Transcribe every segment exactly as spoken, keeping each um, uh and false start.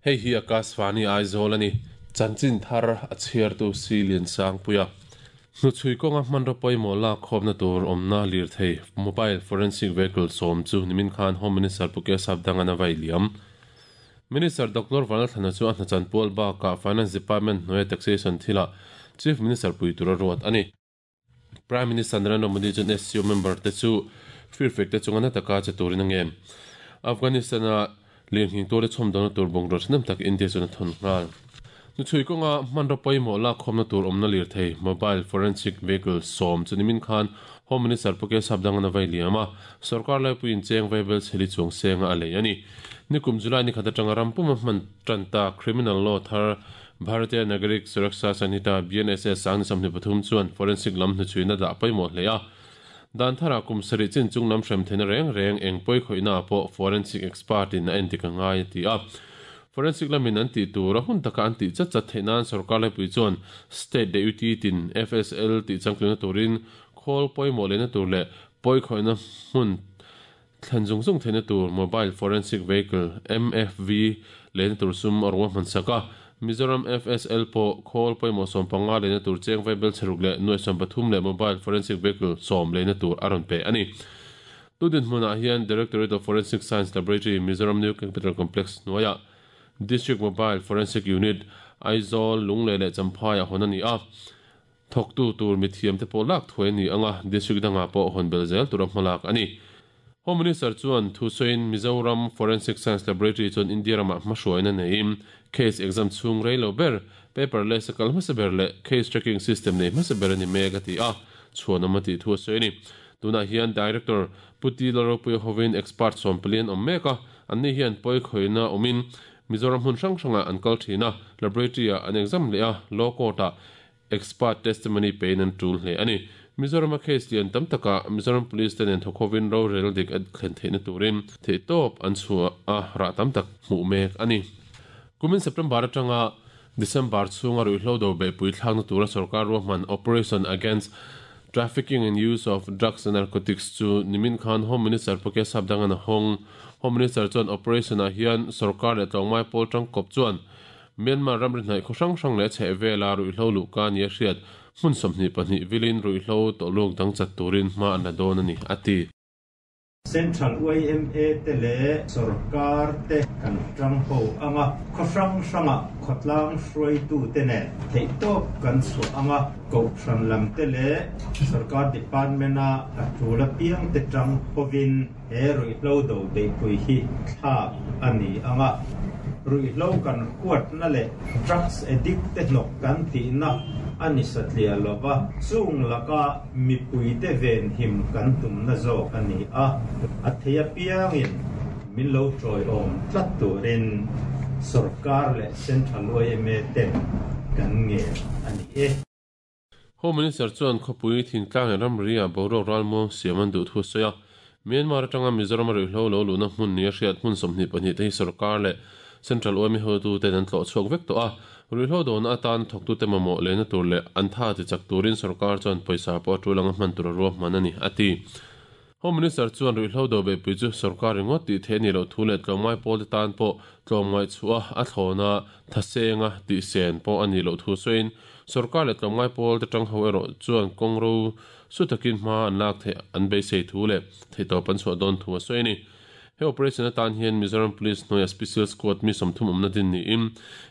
Hei hi Akashvani Aizawl ani chanchin thar a chhiar tu si lian sang puia nu chui kawnga hman rawpawimawh lak khawpna tur awmna lir thei mobile forensic vehicle sawm chu nimin khan Home Minister Pu Keshav Dangana vai liam Minister Doctor Vanlalthlana chu a hnachan pual bakah Finance Department hnuaia taxation thila Chief Minister pui tura ruat ani Prime Minister Narendra Modi chuan S C O member te chu firfek te chunga na taka che turin a ngem Afghanistan a lir hing tur chhom dona tur bungraw thanem tak India chuan a thawn nghal nu chui kawnga hman rawpawimawh lak khawpna tur awmna lir thei mobile forensic vehicle sawm chu nimin khan Home Minister Pu Keshav Dangana vai liam a sarkar laipuiin cheng vaibel chheli chuang senga a lei ani nikum July ni khat atanga rampuma hman tanta criminal law thar Bharatiya Nagarik Suraksha Sanhita B N S S sang ni sawmhnih pathum chuan forensic lam hnu chuina dah pawimawh hle a dan thara kum sarih chin chung lam hrem theina reng reng eng pawi khawihna pawh forensic expert in a endik a ngai a ti a forensic lamin an tih tur a hun taka an tih chat chat theih nan sarkar laipui chuan state deputy tin F S L tih changtluna turin khawl pawimawh lehna tur leh pawi khawihna hmun thlen zung zung theihna tur mobile forensic vehicle M F V lehna tur sum a ruwa hman sak a Mizoram F S L pawh khawl pawimawh sawm panga lehna tur cheng vaibel chheruk leh nuai sawm pathum leh mobile forensic vehicle sawm lehna tur a rawn pe ani tudin hmunah hian Directorate of Forensic Science Laboratory Mizoram New Capital Complex hnuaia District Mobile Forensic Unit Aizawl Lunglei leh Champhai a hawn ani a thawktu tur mithiam te pawh lak thuai ani anga district danga pawh hawn bel zel tura hmalak ani Home Minister chuan thusawiin Mizoram Forensic Science Laboratory chuan India ramah hmahruaina neiin case exam chhung rei lo ber paperless a kal hmasa ber leh case tracking system nei hmasa ber ani mek a ti a chhuan awm a tih thu a sawi ani tunah hian Director Puti Lalropuia hovin expert sawm palian awm mek a anni hian pawi khawihna awmin Mizoram hmun hrang hranga an kal thina laboratory a an exam leh a law court a expert testimony pein an tul hle ani Mizoram a case lian tam taka Mizoram Police ten thawkhovin ro rel dik a thlen theihna turin theih tawp an chhuah a rah tam tak hmuh mek ani kumin September atanga December chhunga ruihhlo do beihpui thlakna tura sarkar ruahman Operation Against Trafficking and Use of Drugs and Narcotics chu nimin khan Home Minister Pu Keshav Dangana hawng Home Minister chuan operation ah hian sarkar leh tlawngmai pawl tangkawp chuan Myanmar ramri hnaih khaw hrang hrang leh chheh vela ruihhlo luhka ni a hriat hmun sawmhnih pahnih vilin ruihhlo tawluk dang chat turin hma an la dawn ani a ti Central Y M A te le sarkar te kan tang ho anga khaw hrang hranga khawtlang hruaitu te nen theih tawp kan chhuah anga kohhran lam te le sarkar department a a tul apiang te tang hovin he ruihhlo do beihpui hi thlak ani anga ruihhlo kan huatna leh drugs addict te hnawk kan tihna ani satliah lova chung laka mipui te ven him kan tumna zawk ani a a thei apiangin min lo tawi awm tlat turin sarkar leh Central Y M A ten kan nge ani e Home Minister chuan khawpui thingtlang leh ramri a boruak ralmuang siam an duh thu a sawi a Myanmar atanga Mizoram ruihhlo lo luhna hmun ni a hriat hmun sawmhnih pahnih te hi sarkar leh Central Y M A hotu ten an tlawh chhuak vek tawh a ruihhlo dawhna atan thawktu te mamawh lehna tur leh an tha ti chak turin sarkar chuan pawisa pawh a tul anga hman tur a ruahman ani a ti Home Minister chuan ruihhlo do beihpui chu sarkar ringawt tih theih ani loh thu leh tlawmngai pawl te tan pawh tlawmngai chhuah a thlawna thasenga tih sen pawh ani loh thu sawiin sarkar leh tlawmngai pawl te tang ho erawh chuan kawng ro su takin hma an lak theih an beisei thu leh theih tawp an chhuah dawn thu a sawi ani he operation atan hian Mizoram Police hnuaia Special Squad mi sawmthum awmna din niin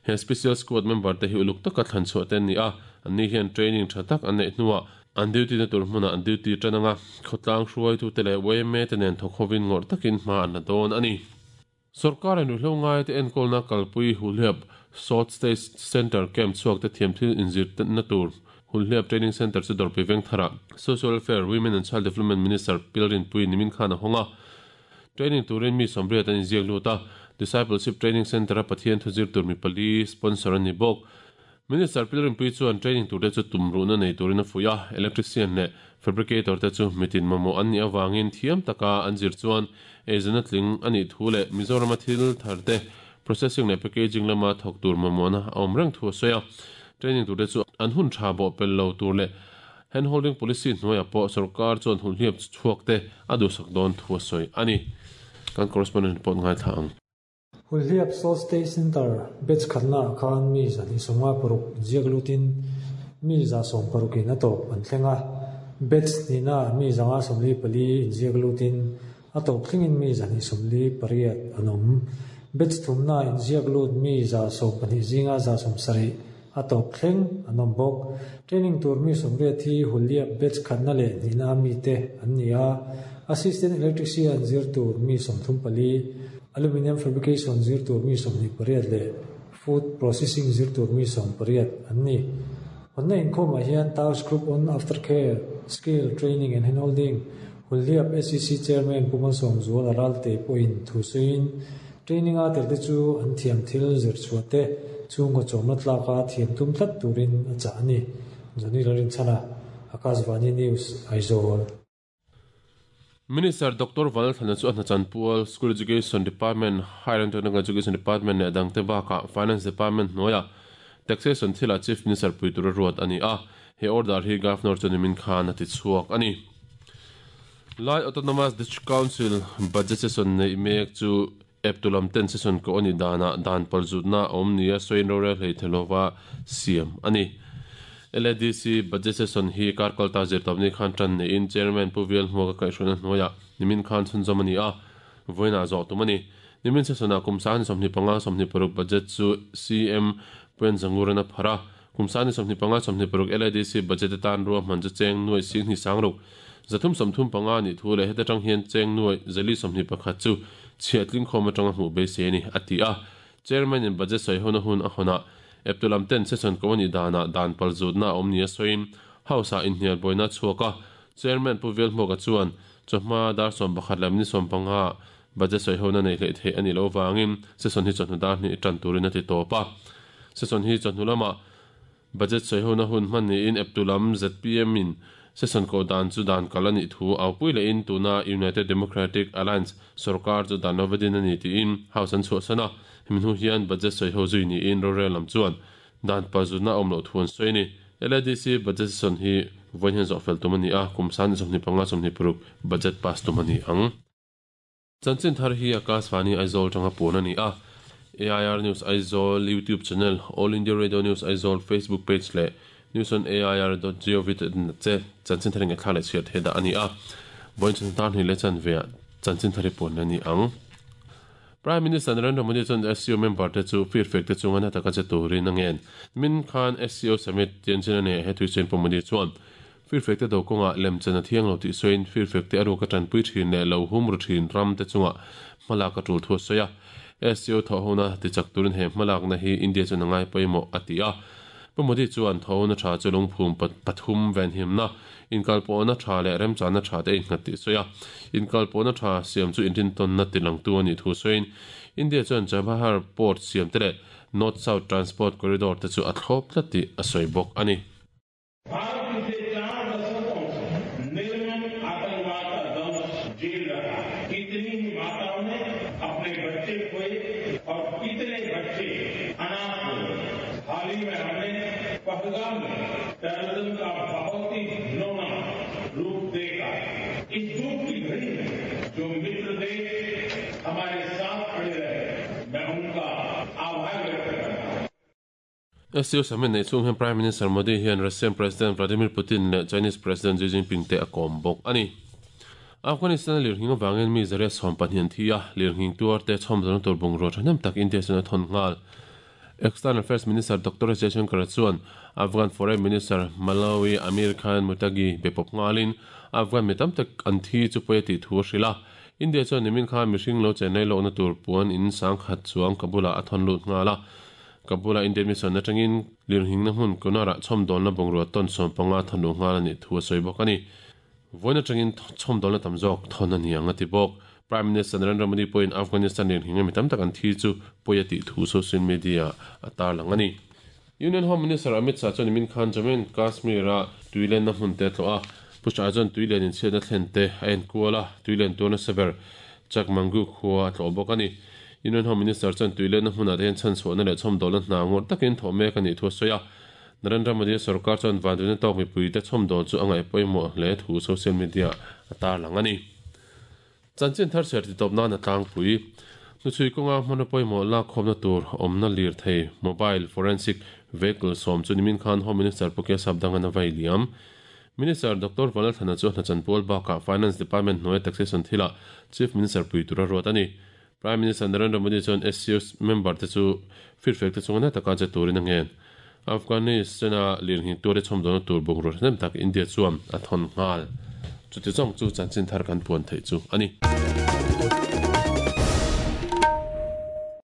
he Special Squad member te hi uluk taka thlan chhuah te ani a anni hian training tha tak an neih hnuah an duty na tur hmunah an duty tananga khawtlang hruaitu te leh Y M A te nen thawkhovin ngawrh takin hma an la dawn ani sarkar in ruihhlo ngai te enkawlna kalpui hulhliap Short Stay Center camp chhuak te thiam thil inzir na tur hulhliap Training Center chu dawrpui veng thara Social Welfare Women and Child Development Minister Pilrin Pui nimin khan a hawnga training turin mi sawmriat an inziak lut a Discipleship Training Center a Pathian thuzir tur mi pali sponsor ani bawk Minister Pilrin Pui chuan training tur te chu tumruhna nei turin a fuih a electrician leh fabricator te chu mitin mamawh an nih awangin thiam taka an zir chuan eizawna tling ani thu leh Mizoram a thil thar te processing leh packaging lama thawk tur mamawhna a awm reng thu a sawi a training tur te chu an hun tha bawh pel lo tur leh Handholding policy hnuaiah pawh sorkar chuan hulhliap chhuak te a duhsak dawn thu a sawi a ni. Kan correspondent report ngaithla ang. Hulhliap Salt State Center batch khatna khan mi zahnih sawmnga paruk inziak lutin mi za sawm parukin a tawp an thleng a. Batch hnihna mi zanga sawmli pali inziak lutin a tawp thlengin mi zahnih sawmli pariat an awm. Batch thumna inziak lut mi za sawm pahnih zinga za sawm sarih a tawp thleng an awm bawk. Training tur mi sawmriat hi Hulhliap batch khatna leh hnihna mi te an ni a. Assistant electrician zir tur mi sawmthum pali, aluminium fabrication zir tur mi sawmhnih pariat leh food processing zir tur mi sawm pariat an ni. Honna inkhawmah hian Task Group on Aftercare, Skill Training and Handholding Hulhliap S E C Chairman Pu Malsawmzuala Ralte pawhin thu sawiin training a tel te chu an thiam thil zir chhuah te chhungkaw chawmna tlaka thiam tum tlat turin a chah a ni. Johnny Lalrinchhana, Akashvani News, Aizawl. Minister Doctor Vanlalthlana chu a hnachanpual School Education Department, Higher and Technical Education Department leh dangte bakah Finance Department hnuaiah Taxation thilah Chief Minister pui tura ruat a ni a. He order hi Governor chu nimin khan a ti chhuak a ni. Lai Autonomous District Council budget session nei mek chu eptulam ten session ko ani dana dan palzutna awm nia sawiin rorel hlei thelova siam a ni. L A D C budget session hi karkalta zirtawpni khan tan niin Chairman Pu Vial Hmuaka kaihhruaina hnuaiah nimin khan chhunzawm a ni a. Vawiinah zawh tum a ni. Nimin session-ah kum sangni sawmhnih panga sawmhnih paruk budget chu C M Puan Zanguran a phar a. Kum sangni sawmhnih panga sawmhnih paruk L A D C budget atan ruahman chu cheng nuai singhnih sangruk zathum sawmthum panga ni thu leh heta tang hian cheng nuai zali sawmhnih pakhat chu chhiatling khawm atanga hmuh beisei a ni a ti a. Chairman in budget sawi hona hun a hawnah eptulam ten session ko ani dana dan palzutna awm nia sawiin house ah inhnial buaina chhuak a. Chairman Pu Vial Hmuaka chuan chawhma dar sawm pakhat leh ni sawm panga budget sawi hona nei hlei thei ani lo wangin session hi chawhnu dar hnih tan turin a ti tawp a. Session hi chawhnu lamah budget sawi hona hun hman niin eptulam Z P M in session ko dan chu dan kal ani thu aupui leh in tuna United Democratic Alliance sarkar chu dan lovadin ani tiin house an chhuah sana. Himin hu hian budget sawi ho zui niin rorel lam chuan dan palzutna awm loh thu an sawi a ni. L A D C budget session hi vawiin hian zawh fel tum a ni a. Kum sangni sawmhnih panga sawmhnih paruk budget pass tum a ni ang. Chanchin thar hi Akashvani Aizawl tanga pawn a ni a. A I R News Aizawl YouTube channel, All India Radio News Aizawl Facebook page leh news on A I R dot gov dot in che chanchin thar nge thla leh chhiat thei dah a ni a. Vawiin chan tan hnih leh chan veah chanchin thar hi pawn a ni ang. Prime Minister Narendra Modi chuan S C O member te chu feedback te chunga na taka che turin a ngen. Min khan S C O summit tianchen a nei he thui chen Pu Modi chuan feedback te do kawnga lemchan a thiang lo tih sawiin feedback te a ruka tanpui thin leh lo hum ru thin ram te chunga hmalak a tul thu a sawi a. S C O thawhhona tichak turin he hmalakna hi India chuan a ngai pawimawh a ti a. Pu Modi chuan thawhhona tha chu lungphum pathum venhimna inkalpawhna tha leh remchana tha te innghat tih sawi a. Inkalpawhna tha siam chu inrintawnna tilangtu a nih thu sawiin India chuan Chabahar Port siam te leh North South Transport Corridor te chu a thlawp tlat tih a sawi bawk a ni. S C O summit nei chung hian Prime Minister Modi hian Russian President Vladimir Putin leh Chinese President Xi Jinping te a kawm bawk a ni. Afghanistan lirnghing awangin mi zaria sawm pahnih an thi a. Lirnghing tuar te chhawmzawna tur bungraw thahnem tak India chuan a thawn nghal. External Affairs Minister Doctor Jaishankar chuan Afghan Foreign Minister Malawi Amir Khan Mutagi bepawp nghalin Afghan mi tam tak an thi chu pawi a tih thu a hrilh a. India chuan nimin khan mihring lo chennai lohna tur puan in sangkhat chuang Kabul ah a thawn lut nghal a. Kabul ah Indian mission atangin lirnghing na hmun Kunara chhawmdawlna bungrua tawn sawm panga thawn lut nghal a nih thu a sawi bawk a ni. Vawiin atangin chhawmdawlna tam zawk thawn a ni ang a ti bawk. Prime Minister Narendra Modi pawhin Afghanistan lirnghing mi tam tak an thi chu pawi a tih thu social media a tarlang a ni. Union Home Minister Amit Shah chuan nimin khan Jammu and Kashmir a tuilen na hmun te tlawh a. Pu Shah chuan tuilen in chhiatna thlen te a enkual a. Tuilen tuarna saber Chakmangu khua a tlawh bawk a ni. Union Home Minister chuan tuilen na hmunah te hian chhan chhuahna leh chhawmdawlna hna ngawr takin thawh mek a nih thu a sawi a. Narendra Modi sarkar chuan vanduina tawk mipui te chhawm dawl chu a ngaih pawimawh hle thu social media a tarlang a ni. Chanchin thar chhiar ti tawp nan a tlangpui. Hnuchhui kawnga hmanraw pawimawh lak khawmna tur awmna lirthei mobile forensic vehicle sawm chu nimin khan Home Minister Pukia Sapdangan a vai liam. Minister Doctor Vanlalthana chu hna chanpual bakah Finance Department hnuaia taxation thilah Chief Minister pui tura ruat a ni. Prime Minister Narendra Modi chuan S C O member te chu feedback te chunga na taka che turin a ngen. Afghanistan-a lirnghing ture chhawm dawna tur bungraw hnem tak India chuan a thawn nghal. Chuti zawng chu chanchin thar kan puan theih chu a ni.